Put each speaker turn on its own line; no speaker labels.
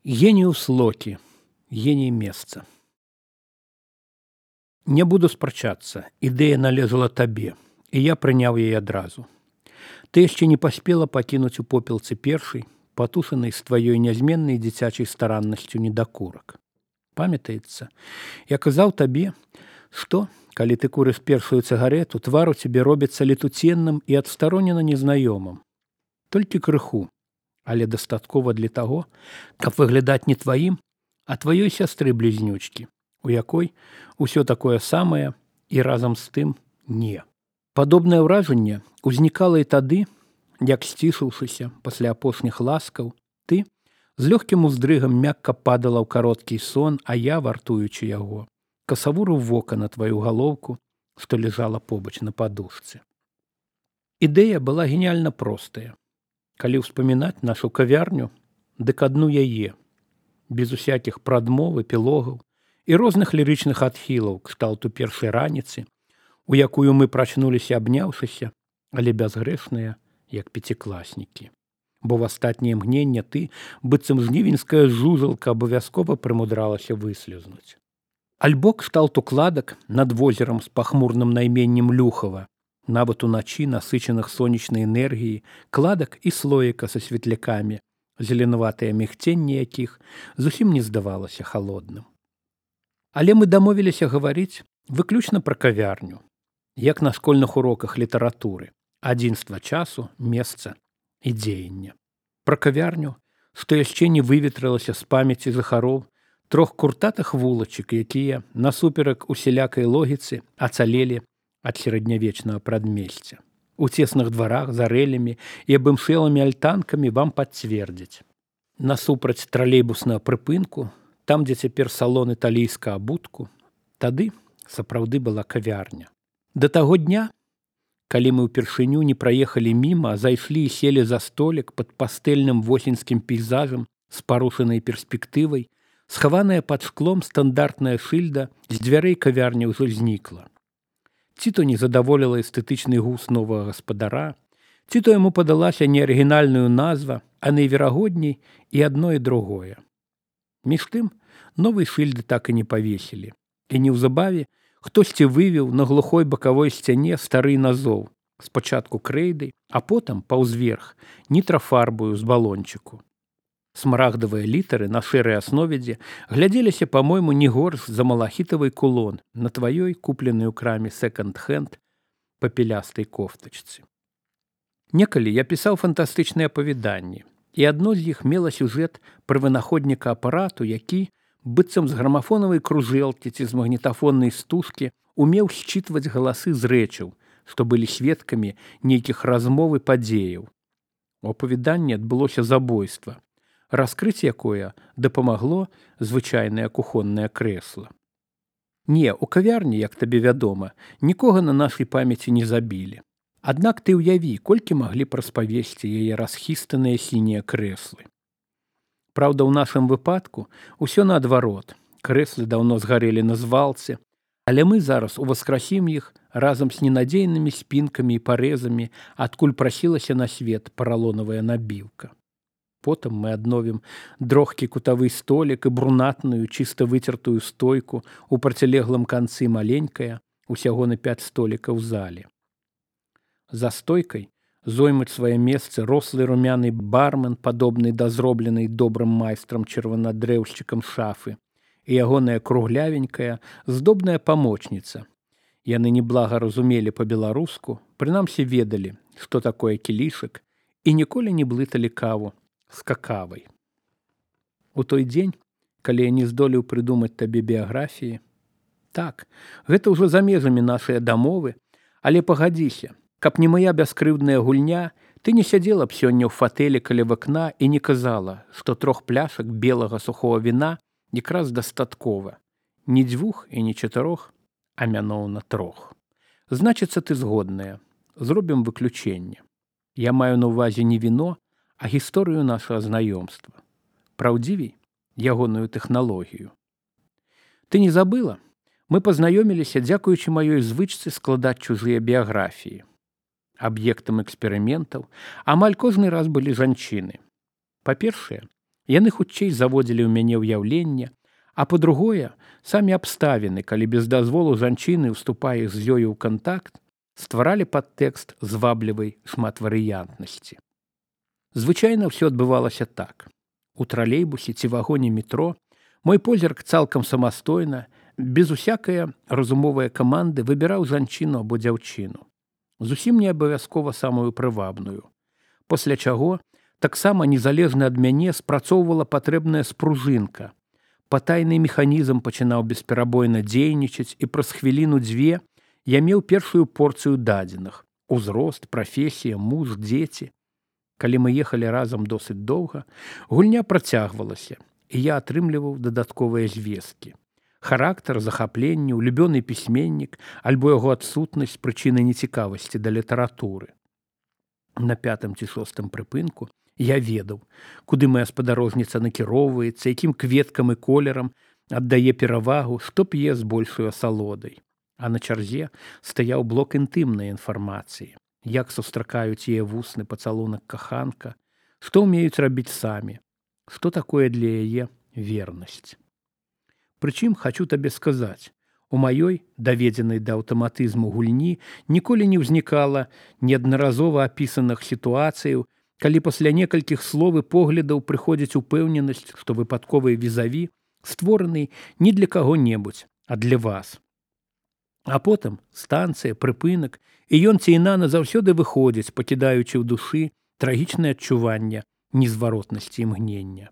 Геніус Локі, геній месца. Не буду спрачацца, ідэя належала табе, і я прыняў яе адразу. Ты яшчэ не паспела пакінуць у попелцы першай, патушанай з тваёй нязменнай дзіцячай стараннасцю недакурак. Памятаецца, я казаў табе, што, калі ты курыш першую цыгарету, твар у цябе робіцца летуценным і адстаронена незнаёмым. Толькі крыху, але дастаткова для таго, каб выглядаць не тваім, а тваёй сястры блізнючкі, у якой усё такое самае і разам з тым не. Падобнае ўражанне ўзнікала і тады, як сцішыўшыся пасля апошніх ласкаў, ты з лёгкім уздрыгам мякка падала ў кароткі сон, а я, вартуючы яго, касавурыў вока на тваю галоўку, што ляжала побач на падушцы. Ідэя была геніяльна простая. Калі ўспамінаць нашу кавярню, дык адну яе, без усякіх прадмов, эпілогаў і розных лірычных адхілаў кшталту першай раніцы, у якую мы прачнуліся абняўшыся, але бязгрэшныя, як пяцікласнікі. Бо в астатняе мгненне ты, быццам жнівеньская жужалка, абавязкова прымудралася выслізнуць. Альбо кшталт укладак над возерам з пахмурным найменнем Люхава, нават уначы насычаных сонечнай энергіяй, кладак і слоіка са светлякамі, зеленаватае мігценне якіх зусім не здавалася халодным. Але мы дамовіліся гаварыць выключна пра кавярню, як на школьных уроках літаратуры, адзінства часу, месца і дзеяння. Пра кавярню, што яшчэ не выветрылася з памяці жыхароў трох куртатых вулачак, якія, насуперак усялякай логіцы, ацалелі ад сярэднявечнага прадмесця. У цесных дварах з арэлямі і абымшэлымі альтанкамі вам пацвердзяць. Насупраць тралейбуснага прыпынку, там, дзе цяпер салон італійска абутку, тады сапраўды была кавярня. Да таго дня, калі мы ўпершыню не праехалі міма, а зайшлі і селі за столік пад пастэльным восеньскім пейзажам з парушанай перспектывай, схаваная пад шклом стандартная шыльда з дзвярэй кавярні ўжо знікла. Ці то не задаволіла эстэтычны густ новага гаспадара, ці то яму падалася не арыгінальную назва, а найверагодней і адно і другое. Між тым, новай шыльды так і не павесілі. І неўзабаве хтосьці вывеў на глухой бакавой сцяне стары назоў, спачатку крэйдай, а потым паўзверх нітрафарбую з балончыку. Смарагдавыя літары на шэрай аснове глядзеліся, па-мойму, не горш за малахітавый кулон на тваёй купленай у краме секонд-хенд папелястай кофтачцы. Некалі я пісаў фантастычныя апавяданні, і адно з іх мела сюжэт пра вынаходніка апарату, які, быццам з грамафонавай кружэлкі ці з магнітафоннай стужкі, умеў счытваць галасы з рэчаў, што былі сведкамі нейкіх размоў і падзеяў. У апавяданні адбылося забойства, раскрыць якое дапамагло звычайнае кухоннае крэсла. Не, у кавярні, як табе вядома, нікога на нашай памяці не забілі. Аднак ты ўяві, колькі маглі б распавесці яе расхістаныя сінія крэслы. Праўда, у нашым выпадку ўсё наадварот. Крэслы даўно згарэлі на звалцы, але мы зараз уваскрасім іх разам з ненадзейнымі спінкамі і парэзамі, адкуль прасілася на свет паралонавая набіўка. Потым мы адновім дрохкі кутавы столік і брунатную, чыста выцертую стойку у процілеглым канцы маленькая, усяго на 5 столікаў зале. За стойкай зоймуць свае месцы рослы румяны бармен, падобны да зробленай добрым майстрам чырванадрэўшчыкам шафы, і ягоная круглявенькая, здобная памочніца. Яны неблага разумелі па-беларуску, прынамсі ведалі, што такое кілішак, і ніколі не блыталі каву з какавай. У той дзень, калі я не здолеў прыдумаць табе біяграфіі, так, гэта ўжо за межамі нашыя дамовы, але пагадзіся, каб не моя бяскрыўдная гульня, ты не сядзела б сёння ў фатэлі каля вакна і не казала, што 3 пляшак белага сухого віна якраз дастаткова. Не 2 і не 4, а мяноўна 3. Значыцца, ты згодная. Зробім выключэнне. Я маю на ўвазе не віно, а гісторыю нашага знаёмства. Праўдзівей, ягоную тэхналогію. Ты не забыла? Мы пазнаёміліся, дзякуючы маёй звычцы складаць чужыя біяграфіі. Аб'ектам эксперыментаў амаль кожны раз былі жанчыны. Па-першае, Яны хутчэй заводзілі ў мяне ўяўленне, а па-другое, самі абставіны, калі без дазволу жанчыны ўступае з ёю ў кантакт, стваралі падтэкст зваблівай шматварыянтнасці. Звычайна ўсё адбывалася так. У тралейбусе ці вагоне метро мой позірк цалкам самастойна, без усякае разумовае каманды выбіраў жанчыну або дзяўчыну. Зусім не абавязкова самую прывабную. Пасля чаго таксама незалежна ад мяне спрацоўвала патрэбная спружынка. Патайны механізм пачынаў бесперабойна дзейнічаць, і праз хвіліну-дзве я меў першую порцыю дадзеных: узрост, прафесія, муж, дзеці. Калі мы ехалі разам досыць доўга, гульня працягвалася, і я атрымліваў дадатковыя звесткі. Характар, захапленне, улюбёны пісьменнік альбо яго адсутнасць прычыны нецікавасці да літаратуры. На 5-м ці 6-м прыпынку я ведаў, куды моя спадарожніца накіроўваецца, якім кветкам і колерам аддае перавагу, што п'е з большай асалодай. А на чарзе стаяў блок інтымнай інфармацыі. Як сустракаюць яе вусны пацалунак каханка, што ўмеюць рабіць самі, што такое для яе вернасць. Прычым, хачу табе сказаць, у маёй, даведзенай да аўтаматызму гульні, ніколі не ўзнікала неаднаразова апісаных сітуацыяў, калі пасля некалькіх слоў і поглядаў прыходзіць упэўненасць, што выпадковы візаві створаны не для каго-небудзь, а для вас. А потым станцыя, прыпынак, і ён ці іна назаўсёды выходзіць, пакідаючы ў душы трагічнае адчуванне незваротнасці імгнення.